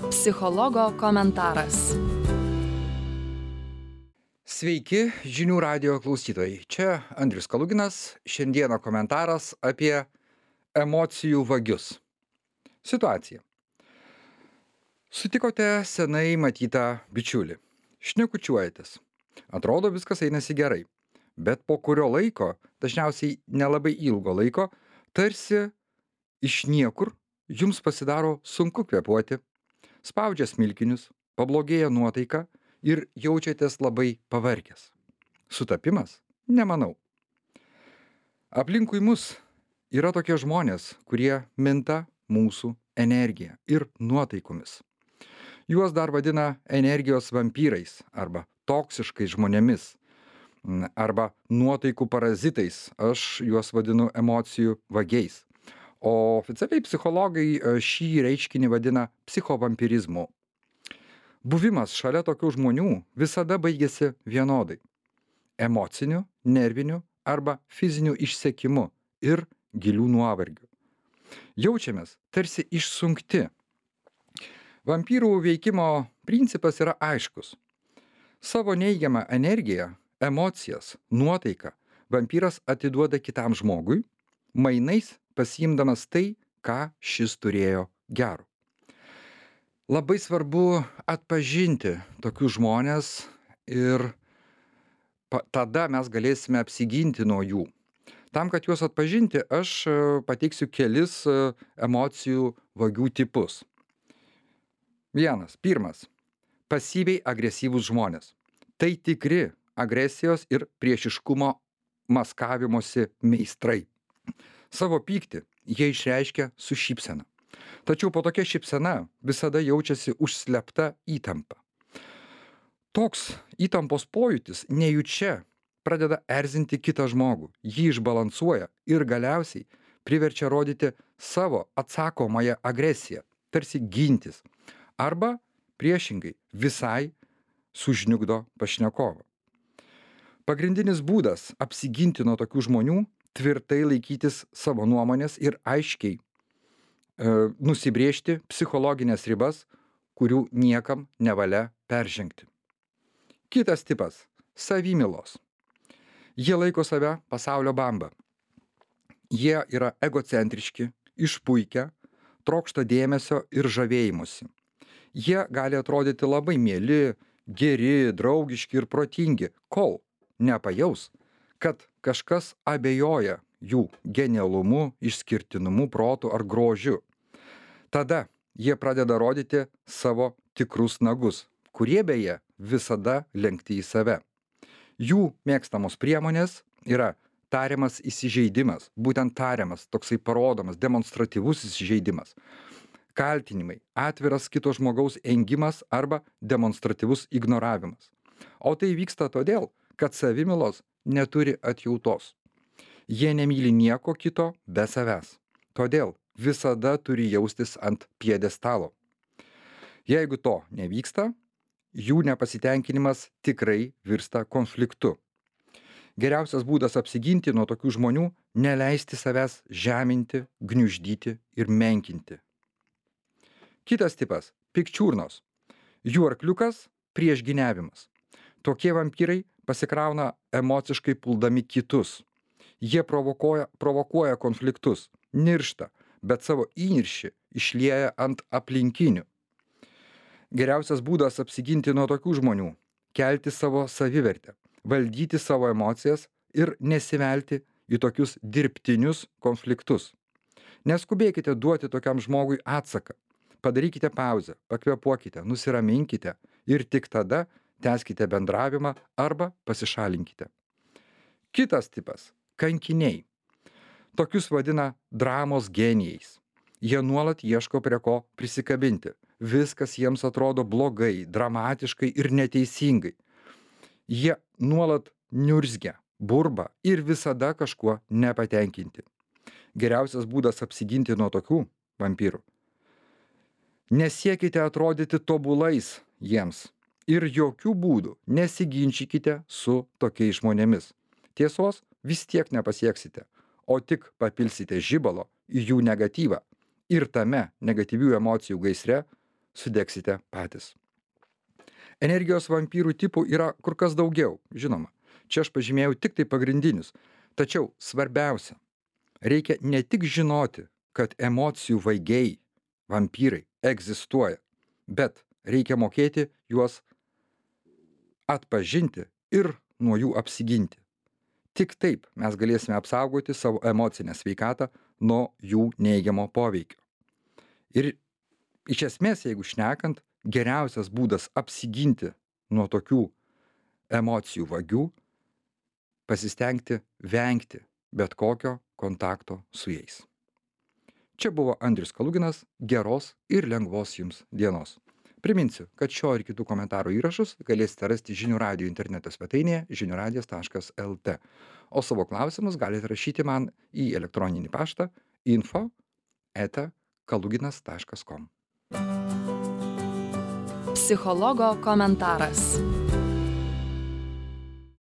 Psichologo komentaras. Sveiki, žinių radijo klausytojai. Čia Andrius Kaluginas. Šiandieną komentaras apie emocijų vagius. Situacija. Sutikote senai matytą bičiulį. Šnekučiuojatės. Atrodo, viskas einasi gerai. Bet po kurio laiko, dažniausiai nelabai ilgo laiko, tarsi iš niekur jums pasidaro sunku kvėpuoti, spaudžia smilkinius, pablogėja nuotaika ir jaučiatės labai pavargęs. Sutapimas? Nemanau. Aplinkui mus yra tokie žmonės, kurie minta mūsų energiją ir nuotaikomis. Juos dar vadina energijos vampyrais arba toksiškais žmonėmis arba nuotaikų parazitais. Aš juos vadinu emocijų vagiais. O oficialiai psichologai šį reiškinį vadina psichovampirizmu. Buvimas šalia tokių žmonių visada baigėsi vienodai – emociniu, nerviniu arba fiziniu išsekimu ir gilių nuovargių. Jaučiamės tarsi išsunkti. Vampyrų veikimo principas yra aiškus. Savo neigiamą energiją, emocijas, nuotaiką vampyras atiduoda kitam žmogui, mainais pasiimdamas tai, ką šis turėjo gero. Labai svarbu atpažinti tokius žmones ir tada mes galėsime apsiginti nuo jų. Tam, kad juos atpažinti, aš pateiksiu kelis emocijų vagių tipus. Pirmas. Pasyviai agresyvūs žmonės. Tai tikri agresijos ir priešiškumo maskavimosi meistrai. Savo pyktį jie išreiškia su šypsena. Tačiau po tokia šypsena visada jaučiasi užslėpta įtampa. Toks įtampos pojūtis nejučia pradeda erzinti kitą žmogų, jį išbalansuoja ir galiausiai priverčia rodyti savo atsakomąją agresiją, tarsi gintis, arba priešingai visai sužniugdo pašnekovą. Pagrindinis būdas apsiginti nuo tokių žmonių – tvirtai laikytis savo nuomonės ir aiškiai nusibrėžti psichologinės ribas, kurių niekam nevalia peržengti. Kitas tipas – savimylos. Jie laiko save pasaulio bamba. Jie yra egocentriški, išpuikę, trokšta dėmesio ir žavėjimusi. Jie gali atrodyti labai mieli, geri, draugiški ir protingi, kol nepajaus, kad kažkas abejoja jų genialumu, išskirtinumu, protu ar grožiu. Tada jie pradeda rodyti savo tikrus nagus, kurie beje visada lenkti į save. Jų mėgstamos priemonės yra tariamas įsižeidimas, būtent tariamas, toksai parodomas, demonstratyvus įsižeidimas. Kaltinimai, atviras kito žmogaus engimas arba demonstratyvus ignoravimas. O tai vyksta todėl, kad savimylos neturi atjautos. Jie nemyli nieko kito be savęs. Todėl visada turi jaustis ant pjedestalo. Jeigu to nevyksta, jų nepasitenkinimas tikrai virsta konfliktu. Geriausias būdas apsiginti nuo tokių žmonių – neleisti savęs žeminti, gniuždyti ir menkinti. Kitas tipas – pikčiurnos. Jų arkliukas – priešgyniavimas. Tokie vampyrai pasikrauna emociškai puldami kitus. Jie provokuoja konfliktus, niršta, bet savo įniršį išlieja ant aplinkinių. Geriausias būdas apsiginti nuo tokių žmonių – kelti savo savivertę, valdyti savo emocijas ir nesivelti į tokius dirbtinius konfliktus. Neskubėkite duoti tokiam žmogui atsaką. Padarykite pauzę, pakvėpuokite, nusiraminkite ir tik tada tęskite bendravimą arba pasišalinkite. Kitas tipas – kankiniai. Tokius vadina dramos genijais. Jie nuolat ieško prie ko prisikabinti. Viskas jiems atrodo blogai, dramatiškai ir neteisingai. Jie nuolat niurzgia, burba ir visada kažkuo nepatenkinti. Geriausias būdas apsiginti nuo tokių vampyrų – nesiekite atrodyti tobulais jiems ir jokių būdų nesiginčykite su tokiais žmonėmis. Tiesos vis tiek nepasieksite, o tik papilsite žibalo į jų negatyvą ir tame negatyvių emocijų gaisre sudegsite patys. Energijos vampyrų tipų yra kur kas daugiau, žinoma. Čia aš pažymėjau tik tai pagrindinius. Tačiau svarbiausia, reikia ne tik žinoti, kad emocijų vaigiai, vampyrai egzistuoja, bet reikia mokėti juos atpažinti ir nuo jų apsiginti. Tik taip mes galėsime apsaugoti savo emocinę sveikatą nuo jų neigiamo poveikio. Ir iš esmės, jeigu šnekant, geriausias būdas apsiginti nuo tokių emocijų vagių - pasistengti vengti bet kokio kontakto su jais. Čia buvo Andrius Kaluginas, geros ir lengvos jums dienos. Priminsiu, kad šio ir kitų komentarų įrašus galėsite rasti žinių radijo interneto svetainėje žiniuradijas.lt. O savo klausimus galite rašyti man į elektroninį paštą info@kaluginas.com. Psichologo komentaras.